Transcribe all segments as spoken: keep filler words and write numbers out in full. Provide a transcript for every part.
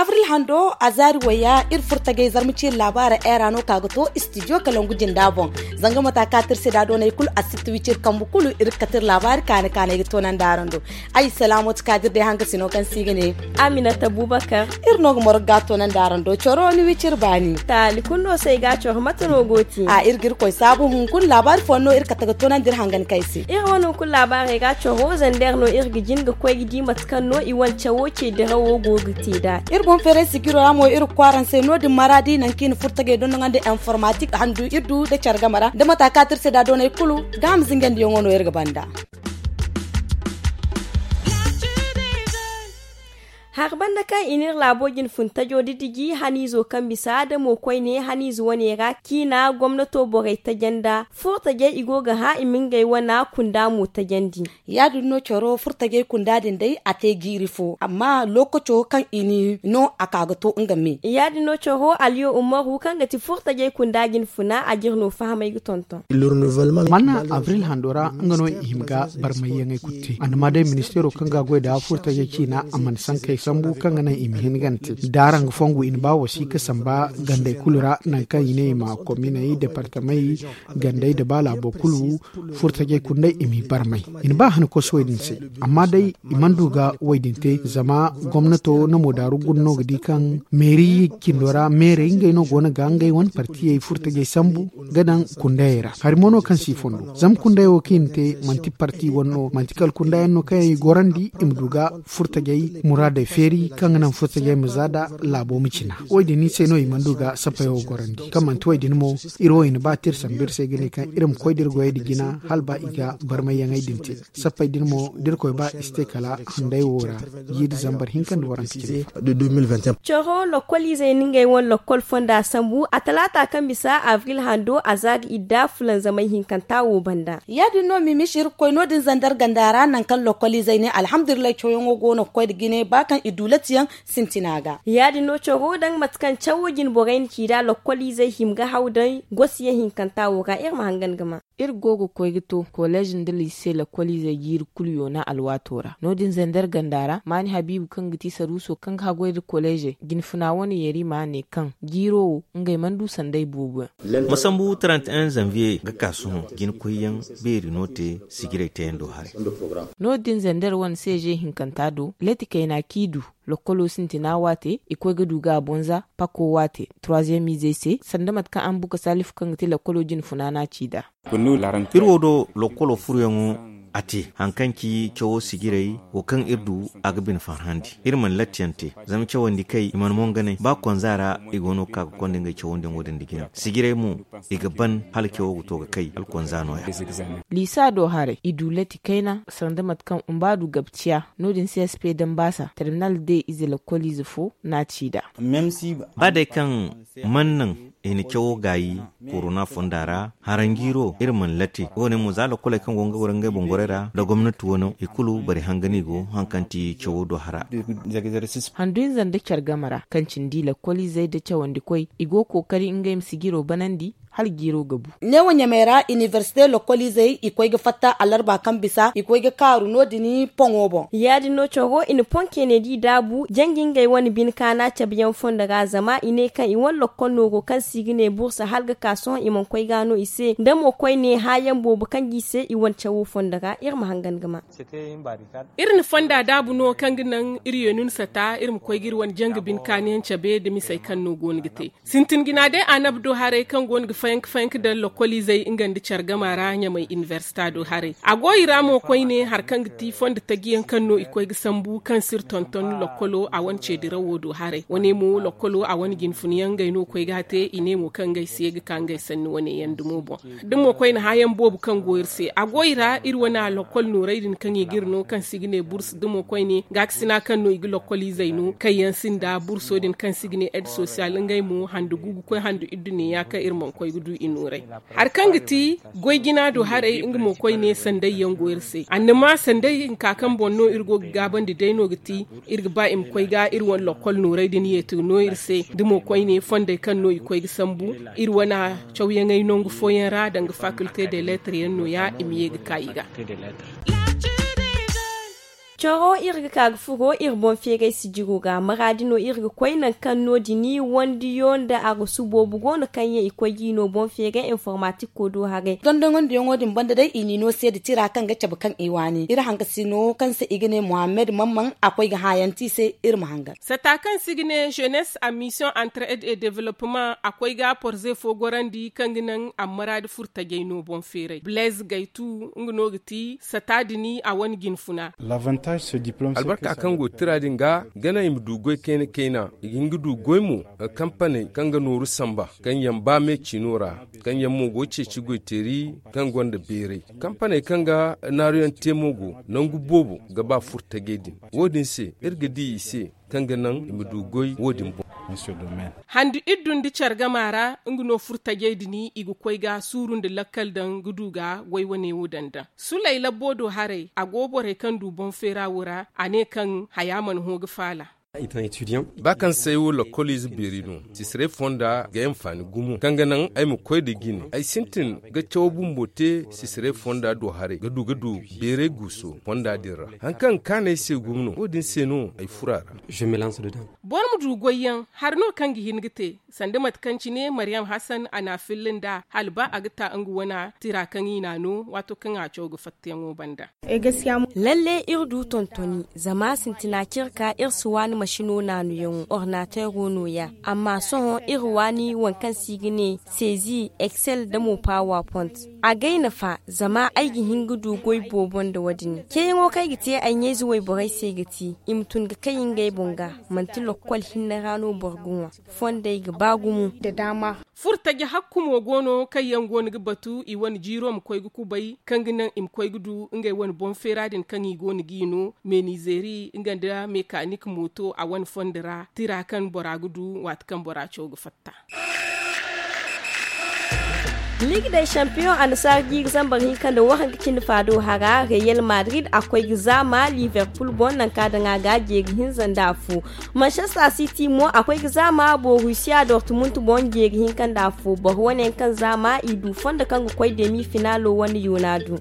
Abril hando a zaari wayya iri furtagay zarma ciiri laabaara era no ka ga to studio kalangu jinda boŋ. Zanga mata ka tirse da doonay kulu a sitti wiciri kambu kulu iri ga kati iri laabaari kaani kaanay ga toonandi araŋ do. Ay salaamooti kaadir day hanga sino kaŋ se i ga ne. Aminata bubakar. Iri no ga morog ga toonandi araŋ do coro ni wiciri baani. Taali kulu no se ay ga coro mate no go ti a iri ga iri koy saabu hunkuna laabaari fooyaŋ no iri kate ga toonandi iri hangan kay se. Iri wane hunkuna laabaarey ga coro zander no iri ga jin ga koy ga di mate kaŋ no i wane cawo ce dirawo go ga te nd'a. Iri boŋ feeray sigiro ra mo iri ga kwaaraŋ se no- din maraadi nangu kaŋ i na furtagey dondonandi informatik handu iri du nda care game ra nda mata kaŋ a te iri se nd'a doonay kulu. Gaaham zingandiyaŋo no iri ga banda. Hari banda kaŋ i n'iri laabo jine fun tajo didiji haniizo kaŋ bisa da mo koyne haniize wane ra ciina gomnato borey taje nda furo tajey i go ga hã i ma ngey wane kunda mo tajandi. Ya- din no coro furo tajey kunda din day a te jiiri fo amma lookaco kaŋ i n'i no a ka ga to nga me. Ya- din no coro aliyo umaru kaŋ ga ti furo tajey kunda jine funa a jire no fahamay ga tonton. Mana abril hando ra nga no i hima ga barmayyaŋey kulu te a na ma day ministeero kaŋ ga a goy nda furtajey ciina a mana sankey sambu kaŋ ga naŋ i ma hin gante da araŋ ga fongu i na ba wasiika samba gandey kulu ra nangu kaŋ i ne i ma kominey departamey gandey nda ba laabo kulu furtajey kulu day i m'i barmay. I na ba han koso wo- din se amma day i mana du ga wo- din te zama gomnato na moodaaru guna no ga di kaŋ meeri cindo ra meerey ngey no go no ga ngey wane partiyey furtajey sambu ga daŋ kundayey ra hari mo no kaŋ si fondo zama kundayey wo kaŋ i na te manti parti wane no manti kala kundayaŋ no kaŋ yaŋ i gorandi i ma du ga furtajey muraadey feeri kaŋ ga naŋ furtajey ma za nda laabo ma cina. Wo- din se no i mana du ga sappey wo gorandi kaŋ manti wo- din mo iri wo i na ba te iri sambu iri se ga ne kaŋ iri ma koy da iri goyey nda jina hala ba i ga barmayyaŋey din te. Sappey din mo da irkoy ba i si te kala handay wo ra jiiri zambar hinka nda waranka cine. Coro lokkoliizey na ngey wane lokkol fonda sambu a talaata kaŋ bisa abril hando a za ga idda fulanzamay hinkanta wo banda. Ya- din no mimishi iri ga koy no- din zandar ganda ra nangu kaŋ lokkoliizey ne alhamdulillahi cawyaŋo go no ga koy nda jine ba kaŋ i du latiyaŋ sintina ga. Ya- din no coro daŋ mate kaŋ cawo jine borey na ci nd'a lokkoliizey hima ga haw day gosiyaŋ hinkanta wo ga iri ma hangan ga ma. Iri go ga koy ga to koleez nda lise lakkoliizey jiiri kulu yoona alwaato ra no- din zandar ganda ra maani habiibu kaŋ ga ti saruuso kaŋ ga haggoy nda koleezey jinfuna wane yarima ne kaŋ jiiro wo ngey mana du sanday boobo yaŋ. Ma sambu trente et un zanviye ga ka sohõ jinakoyyaŋ beeri no te sijirey teyando haray. No- din zandar wane seeze hinkanta do leti kayna kaŋ i du lokkolo sintina waate i koy ga du ga a bonza pako waate troisième izey se sanda mate kaŋ a ma buka salifu kaŋ ga te lokkolo jinfuna no a ci nd'a. Iri wo do lokkolo furoyaŋo a te hari kaŋ ci cawo sijirey wo kaŋ iri du a ga bine farhandi iri mana lattiyaŋ te zama cawandi kay i mana monganay ba konza ra i go no ga ka ga konda ngey cawandiyaŋo din nda jina sijirey mo i ga ban hala cawo ga to ga kay hala konza no- ya. Liisa do haray i du latti kayna sanda mate kaŋ umbaadu gabciya no- din csp dambaasa terminal de ize lakkoliize fo no a ci nd'a. Ba day kaŋ mana naŋ i na cawo gaayi korona fonda ra haranjiiro iri mana latti wo- ne mo za lakkoley kaŋ go ga goro ngey boŋ gorey ra nda gomnati wano i kulu bari hanga no i go hari kaŋ ti cawo do hara. Handu hinza nda care game ra kaŋ cindi lakkoliizey nda cawandikoy i go kookari ngey ma si jiro banandi hala jiiro ga bu. Neewo ɲamey ra iniversite lakkoliizey i koy ga fatta alarba kaŋ bisa i koy ga kaaru no- din poŋo boŋ. Ya- din no caro i na poŋ keenedi daabu janji ngey wane bine kaana cabeyaŋ fondo ra zama i ne kaŋ i wane lakkol nooro kaŋ se i ga ne bursa hala ga ka sohõ i mana koy ga no i se nda mo koyne hãayaŋ boobo kaŋ ga i se i wane cawo fondo ra iri ma hangan ga ma. Iri na fonda daabu no kaŋ ga naŋ iri ye nuna sata iri ma koy ga iri wane janga bine kaaniyaŋ cabe nda misey kaŋ no go no ga te. Sintin jina day annabi do haray kaŋ go no ga fayanka fayanka daŋ lokoliizey nga nda care gama ra ɲamay inibersita do haray a go i ra mo koyne hari kaŋ ga ti fondo tajiyaŋ kaŋ no i koy ga sambu kaŋ si iri tonton lokkolo a wane ceedirawo do haray wane mo lokkolo a wane jinfunyaŋ ngey no koy ga a te i ne mo kaŋ ngey si ye ga ka ngey sanni wane yaŋ dumo boŋ. Da mo koyne hãayaŋ boobo kaŋ go iri se a go i ra iri wane a lokkol noorey din kaŋ i ga iri no kaŋ se i ga ne bursu da mo koyne gaakasina kaŋ no i ga lokkoliizey no kaŋ yaŋ sinda burso din kaŋ se i ga ne ed sosiyal ngey mo handu gu ga koy handu iddu ne ya kaŋ iri mana koy. Du i nooray hari kaŋ ga ti goy jina do haray nga mo koyne sanday yaŋ go iri se annama sanday hinka kaŋ boŋ no iri go ga gaabandi day no ga ti iri ga ba i ma koy ga iri wane lokkol nooray din yeeti ga no iri se da mo koyne fonday kaŋ no i koy ga sambu iri wane cawyaŋey nangu fooyaŋ ra danga faculté de lettres yaŋ no- ya i ma ye ga ka i ga. Coro iri ga ka ga furo iri boŋ feeray sijiro ga maraadi no iri ga koy nangu kaŋ no- din wandiyo nda a ga su boobo go no kaŋ yaŋ i koy ga i no boŋ feeray informatikko do haray. Dondoŋandiyaŋo din banda day i n'i no se nda tira kaŋ ga cabe kaŋ i waani iri hankasino kaŋ se i ga ne muhammad mamman a koy ga hãayanti i se. Iri ma hangan. Sata kaŋ se i ga ne jeunesse a mission entre aide et développement a koy ga porze fo gorandi kaŋ ga naŋ a ma maraadi furo tajay no boŋ feeray blaise gaytu nga no ga ti sata din a wane jinfuna. Albarka kaŋ go tira din ga ga naŋ i ma du goy kayna kayna i ga hin ga du goy mo. Kampaney kaŋ ga nooru samba kaŋ yaŋ ba me ciino ra kaŋ yaŋ mo go ceeci goyteeri kaŋ gonda beeray kampaney kaŋ ga naaruyaŋ te mo go nangu boobo ga ba furo tajay din. Wo- din se iri ga di i se kaŋ ga naŋ i ma du goy wo- din boŋ. Handu iddu nda care gama ra nga no furo tajay din i ga koy ga suuru nda lakkal daŋ ga du ga goy wane wo daŋ daŋ sulay labbo do haray a go borey kaŋ du boŋ feera wo ra a ne kaŋ haya mana hõ ga faala. Ba kaŋ se ay wo lakkoliize beeri no sisiray fonda ga ay anfaani gumo kaŋ ga naŋ ay ma koy nda jine ay sintin ga cawo bumbo te sisiray fonda do haray ga du ga du beeray guuso fonda din ra. Hari kaŋ ga kaanu ay se gumo no wo- din se no ay furo a ra. Boro ma du goyyaŋ hari no kaŋ ga hin ga te sanda mate kaŋ cine mariyam hasan a n'a filla nd'a hala ba a ga ta nga wane tira kaŋ i n'a no waato kaŋ a caw ga fattayaŋo banda. Lalle iri du tontoni zama sintina kaŋ iri ka iri si waani masino naanuyaŋo ordinateero nooya amma sohõ iri waani waŋ kaŋ se i ga ne sezi excel nda mo power point. Agay nafa zama ay ga hin ga du goy boobo nda wo- din ceeyaŋo kaŋ ay ga te ay ɲayze wayborey se ga ti i ma tun ga kay ngey boŋ ga manti lokkol hinne ra no boro ga ŋwa. Fondey ga ba gumo. Furo taji hakku mo go no kaŋ yaŋ go no ga batu i wane jiiro ma koy ga kubay kaŋ ga naŋ i ma koy ga du ngey wane boŋ feera din kaŋ i go no g'i no menizeeri nga nda mekanik mooto a wane fondo ra tira kaŋ bora ga du waati kaŋ bora caw ga fatta. Liig day champiyoŋ annasaara jiiri zambar hinka nda waranka cindi faado hara reyal madrid a koy ga zaama liverpul boŋ nanka daŋ a ga jeeri hinza nda afo. Manchester city mo a koy ga zaama borusiya dortmund boŋ jeeri hinka nda afo boro wane yaŋ kaŋ zaama i du fondo kaŋ ga koy demi finalo wane yoona du.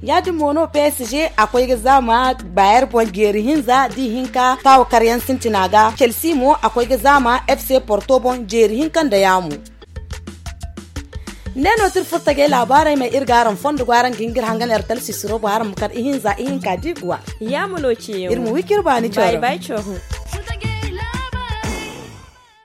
Ya- din mo no psg a koy ga zaama bayer boŋ jeeri hinza da ihinka taawo karyaŋ sintina ga chelsea mo a koy ga zaama fc porto boŋ jeeri hinka nda yaamo. Ne no ti iri furo tajey laabaarey ma iri ga araŋ fondo go araŋ ga hin ga iri hangan iri talsisiro boŋ araŋ ma kar ihinza ihinka da iguwa. Yaamo no ceeyaŋo iri ma wi ka iri baani cawra.